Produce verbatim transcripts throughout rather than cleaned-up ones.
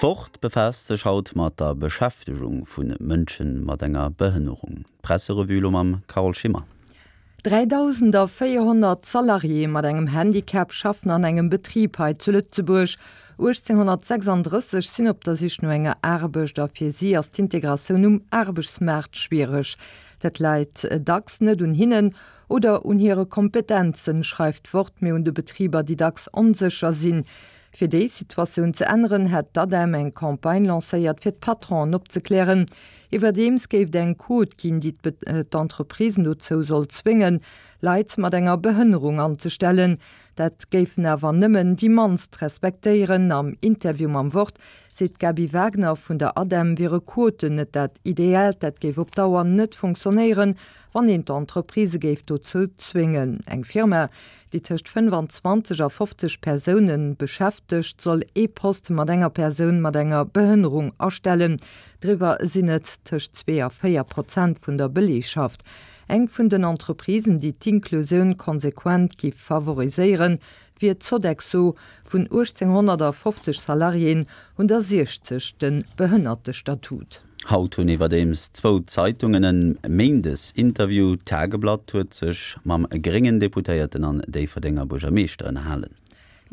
D'Wort befaasst sech haut mat der Beschäftegung vu Mënsche mat enger Behënnerung. D'Presserevue elo mam Carole Schimmer. dräidausendvéierhonnert Salariéë mat engem Handicap schaffen an engem Betrib hei zu Lëtzebuerg. uechtzénghonnertsechsanddrësseg sinn op der Sich no enger Aarbecht a fir si ass d'Integratioun um Aarbechtsmaart schwiereg. Dat läit dacks net un hinnen oder un hire Kompetenzen, schreift d'Wort, mee un de Betriber, déi dacks onsécher sinn. Fir déi Situatioun ze änneren, hätt d'ADEM eng Campagne lancéiert, fir d'Patronen opzeklären. Iwwerdeems géif et eng Quot ginn, déi d'Entreprisen dozou soll zwéngen, Leit mat enger Behënnerung anzestellen. Dat géifen awer nëmmen déi mannst respektéieren. Am Interview mam Wort seet d'Gaby Wagner vun der ADEM, wiere Quoten net dat Ideaalt, dat géif op Dauer net funktionéieren, wann een d'Entreprisë géif dozou zwéngen. Eng Firma, déi tëscht fënnefanzwanzeg a fofzeg Persoune beschäftegt, soll ee Poste mat enger Persoun mat enger Behënnerung astellen. Driwwer sinn et tëscht zwee a véier Prozent vun der Beleegschaft. Eng vun den Entreprisen, déi d'Inklusioun konsequent giff favoriséieren, wier d'Sodexo. Vun uechtzénghonnertafofzeg Salariéen hunn der siechzeg de Behënnertestatut. Haut hunn iwwerdeems zwou Zeitungen en Méindes-Interview. D'Tageblatt huet sech mam gréngen Deputéierten an Déifferdenger Buergermeeschter ënnerhalen.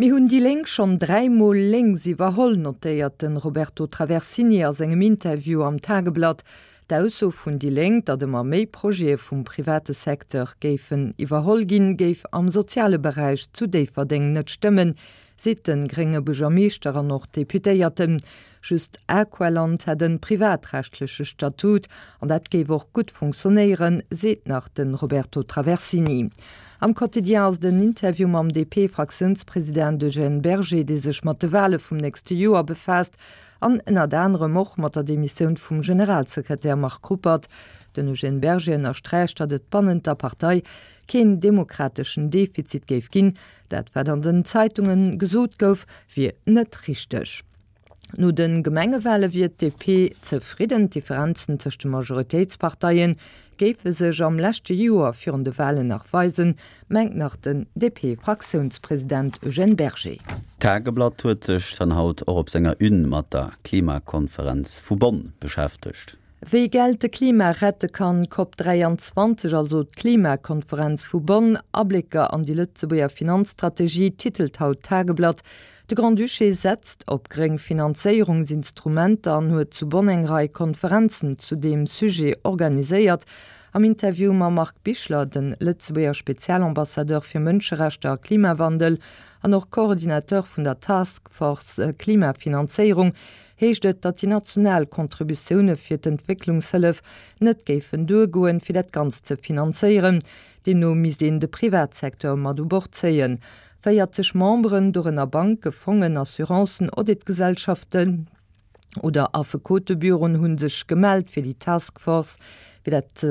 Mir hunn déi Lénk schonn dräi Mol lénks iwwerholl, notéiert de Roberto Traversini a sengem Interview am Tageblatt. D'Ausso vun déi Lénk, datt ëmmer méi Projete vum private Secteur géifen iwwerholl ginn, géif am soziale Beräich zu Déifferdeng net stëmmen, seet de grénge Buergermeeschter an och Deputéierten. Just Aqualand hätt e privatrechtleche Statut an dat géif och gutt funktionéieren, seet nach de Roberto Traversini. Am Quotidien ass et en Interview mam D P-Fraktiounspresident Eugène Berger, dee sech mat de Wale vum nächste Joer befaasst an ënnert anerem och mat der Demissioun vum Generalsekretär Marc Ruppert. Den Eugène Berger ënnersträicht, datt et bannent der Partei keen demokrateschen Defizit géif ginn. Dat wat an den Zeitunge gesot gouf, wier net richteg. No de Gemengewale wier d'D P zefridden, d'Differenzen tëscht de Majoritéitsparteie géife sech am leschte Joer virun de Walen nach weisen, mengt nach den D P-Fraktiounspresident Eugène Berger. D'Tageblatt huet sech dann haut och op senger Une mat der Klimakonferenz vu Bonn beschäftegt. Wéi Geld de Klima rette kann, Cop dräianzwanzeg, also d'Klimakonferenz vu Bonn, Ablécker an déi Lëtzebuerger Finanzstrategie, titelt haut d'Tageblatt. De Grand-Duché setzt op gréng Finanzéierungsinstrumenter an huet zu Bonn eng Rei Konferenzen zu deem Sujet organiséiert. Am Interview mam Marc Bichler, de Lëtzebuerger Spezialambassadeur fir Mënscherechter a Klimawandel an och Coordinateur vun der Task Force Klimafinanzéierung, heescht et, datt déi national Contributioune fir d'Entwécklungshëllef net géifen duergoen, fir dat Ganzt ze finanzéieren. Deemno misst een de Privatsecteur mat u Bord zéien. Véierzeg Memberen, dorënner Banke, Fongen, Assurancen, Auditgesellschaften oder Affekotebüroen, hu sech gemellt fir déi Task Force. Fir dat,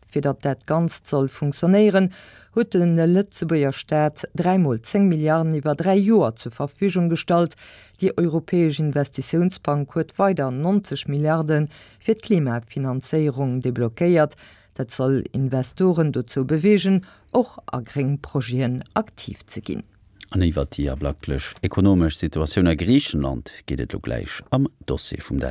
fir datt dat Ganzt soll funktionéieren, huet de Lëtzebuerger Staat dräi mol zéng Milliarden iwwer dräi Joer zur Verfügung gestallt. Déi Europäesch Investitiounsbank huet weider neunzeg Milliarde fir d'Klimafinanzéierung deblockéiert. Dat soll Investoren dozou beweegen, och a gréng Projeten aktiv ze ginn. An iwwer déi ablacklech ekonomesch Situatioun a Griichenland geet et elo gläich am Dossier vum Dag.